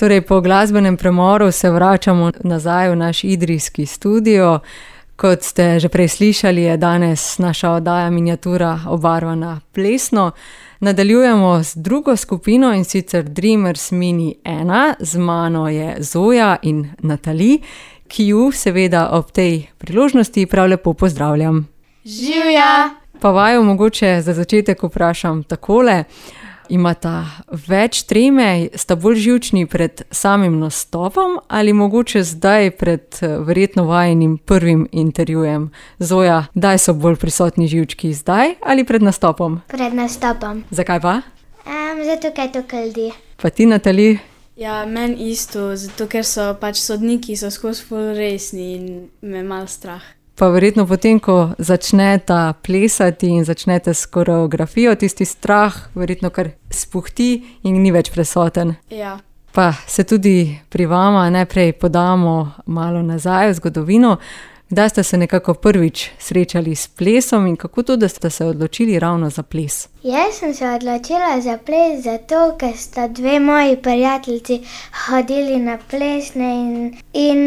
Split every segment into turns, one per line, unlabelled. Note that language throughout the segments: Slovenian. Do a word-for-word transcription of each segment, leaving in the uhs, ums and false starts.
Torej, po glasbenem premoru se vračamo nazaj v naš idrijski studio. Kot ste že prej slišali, je danes naša oddaja Miniatura obarvana plesno. Nadaljujemo z drugo skupino, in sicer Dreamers Mini ena. Z mano je Zoja in Natali, ki ju seveda ob tej priložnosti prav lepo pozdravljam.
Živja!
Pa vaju mogoče za začetek vprašam takole. Imata več treme, sta bolj živčni pred samim nastopom ali mogoče zdaj pred verjetno vajinim prvim intervjujem? Zoja, kdaj so bolj prisotni živčki, zdaj ali pred nastopom?
Pred nastopom.
Zakaj pa?
Um, zato, ker to kaldi.
Pa ti, Natali?
Ja, meni isto, zato ker so pač sodniki so skozi ful resni in me malo strah.
Pa verjetno potem, ko začneta plesati in začnete s koreografijo, tisti strah verjetno kar spuhti in ni več prisoten.
Ja.
Pa se tudi pri vama najprej podamo malo nazaj v zgodovino. Kdaj ste se nekako prvič srečali s plesom in kako to, da ste se odločili ravno za ples?
Jaz sem se odločila za ples zato, ker sta dve moji prijateljici hodili na plesne in, in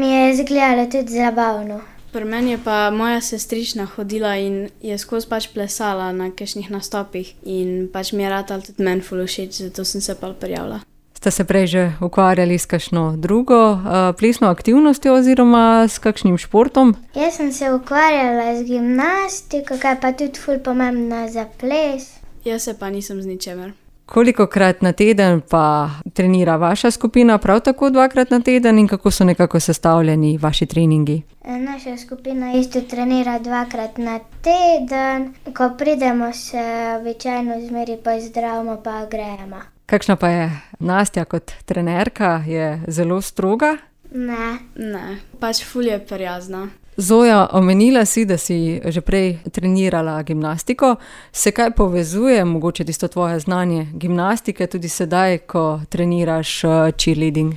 mi je izgledalo tudi zabavno.
Pri meni je pa moja sestrična hodila in je skozi pač plesala na kakšnih nastopih in pač mi je ratalo tudi meni ful všeč, zato sem se pa prijavila.
Ste se prej že ukvarjali s kakšno drugo uh, plesno aktivnostjo oziroma s kakšnim športom?
Jaz sem se ukvarjala z gimnastiko, kar pa tudi ful pomembno za ples.
Jaz se pa nisem z ničemer.
Kolikokrat na teden pa trenira vaša skupina, prav tako dvakrat na teden, in kako so nekako sestavljeni vaši treningi?
Naša skupina isto trenira dvakrat na teden, ko pridemo se običajno zmeri pozdravimo pa grejemo.
Kakšna pa je Nastja kot trenerka? Je zelo stroga?
Ne.
Ne, pač ful je prijazna.
Zoja, omenila si, da si že prej trenirala gimnastiko. Se kaj povezuje, mogoče tisto tvoje znanje gimnastike, tudi sedaj, ko treniraš cheerleading?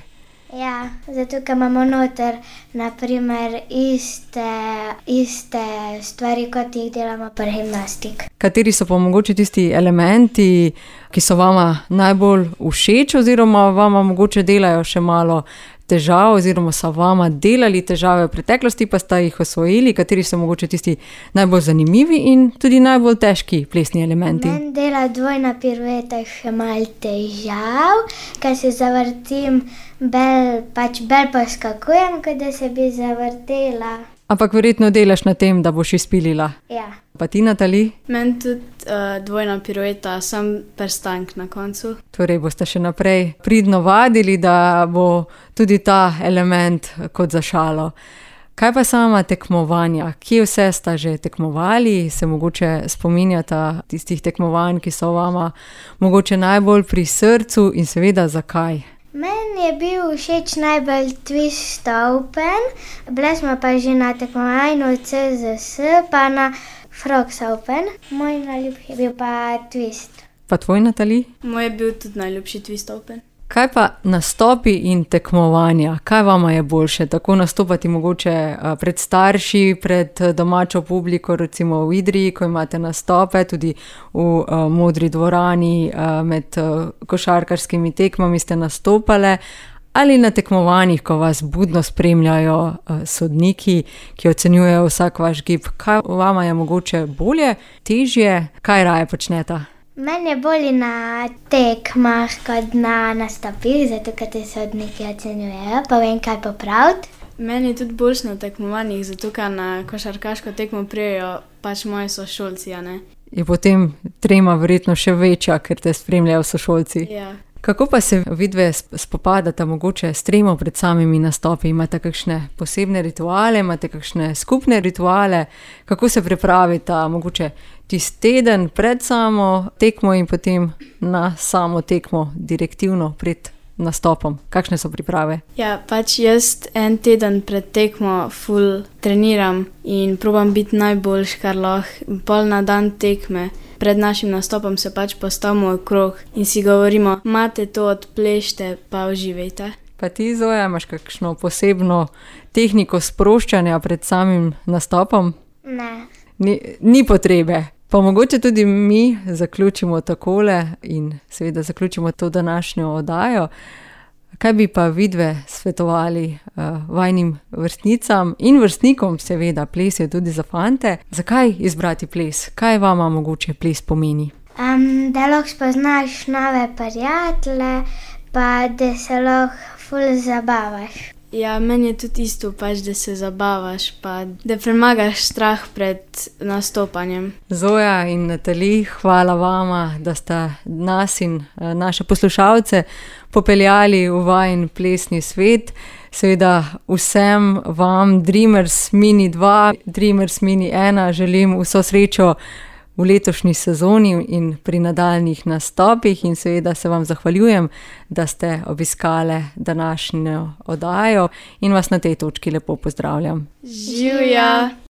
Ja, zato, ker imamo noter na primer iste, iste stvari, kot jih delamo pri gimnastik.
Kateri so pa mogoče tisti elementi, ki so vama najbolj všeč oziroma vama mogoče delajo še malo težav oziroma so vama delali težave v preteklosti, pa sta jih osvojili? Kateri so mogoče tisti najbolj zanimivi in tudi najbolj težki plesni elementi?
Meni dela dvojna pirueta še malo težav, ker se zavrtim, bel, pač bel poskakujem, kot da se bi zavrtela.
Ampak verjetno delaš na tem, da boš izpilila.
Ja.
Pa ti, Natali?
Meni tudi uh, dvojna pirueta, sam prstank na koncu.
Torej boste še naprej pridno vadili, da bo tudi ta element kot za šalo. Kaj pa sama tekmovanja? Kje vse sta že tekmovali? Se mogoče spominjata tistih tekmovanj, ki so vama mogoče najbolj pri srcu, in seveda zakaj?
Meni je bil všeč najbolj Twist Open, bili smo pa že na tekmovanju C Z S, pa na Frogs Open. Moj najljubši je bil pa Twist.
Pa tvoj, Natali?
Moj je bil tudi najljubši Twist Open.
Kaj pa nastopi in tekmovanja? Kaj vama je boljše? Tako nastopati mogoče pred starši, pred domačo publiko, recimo v Idriji, ko imate nastope, tudi v uh, Modri dvorani, uh, med uh, košarkarskimi tekmami ste nastopale, ali na tekmovanjih, ko vas budno spremljajo uh, sodniki, ki ocenjujejo vsak vaš gib? Kaj vama je mogoče bolje, težje? Kaj raje počneta?
Meni je bolje na tekmah kot na nastopih, zato ker te sodniki ocenjujejo, pa vem, kaj popraviti.
Meni je tudi boljše na tekmovanjih, zato ker na košarkaško tekmo prijejo pač moji sošolci, a ne?
Je potem trema verjetno še večja, ker te spremljajo sošolci.
Ja.
Kako pa se vidve spopadata mogoče s tremo pred samimi nastopi? Imate kakšne posebne rituale, imate kakšne skupne rituale? Kako se pripravita mogoče tisti teden pred samo tekmo in potem na samo tekmo direktivno pred nastopom? Kakšne so priprave?
Ja, pač jaz en teden pred tekmo ful treniram in probam biti najboljši, kar lahko. Pol na dan tekme pred našim nastopom se pač postavimo okrog in si govorimo, imate to, odplešte, pa uživajte.
Pa ti, Zoja, imaš kakšno posebno tehniko sproščanja pred samim nastopom?
Ne.
Ni, ni potrebe. Pa mogoče tudi mi zaključimo takole in seveda zaključimo to današnjo oddajo. Kaj bi pa vidve svetovali uh, vajnim vrstnicam in vrstnikom, seveda, ples je tudi za fante. Zakaj izbrati ples? Kaj vama mogoče ples pomeni?
Um, da lahko spoznaš nove prijatelje, pa da se lahko ful zabavaš.
Ja, meni je tudi isto, pač, da se zabavaš, pa da premagaš strah pred nastopanjem.
Zoja in Natali, hvala vama, da sta nas in uh, naše poslušalce popeljali v vajin plesni svet. Seveda vsem vam, Dreamers Mini dva, Dreamers Mini ena, želim vso srečo v letošnji sezoni in pri nadaljnjih nastopih in seveda se vam zahvaljujem, da ste obiskale današnjo oddajo in vas na tej točki lepo pozdravljam.
Živja!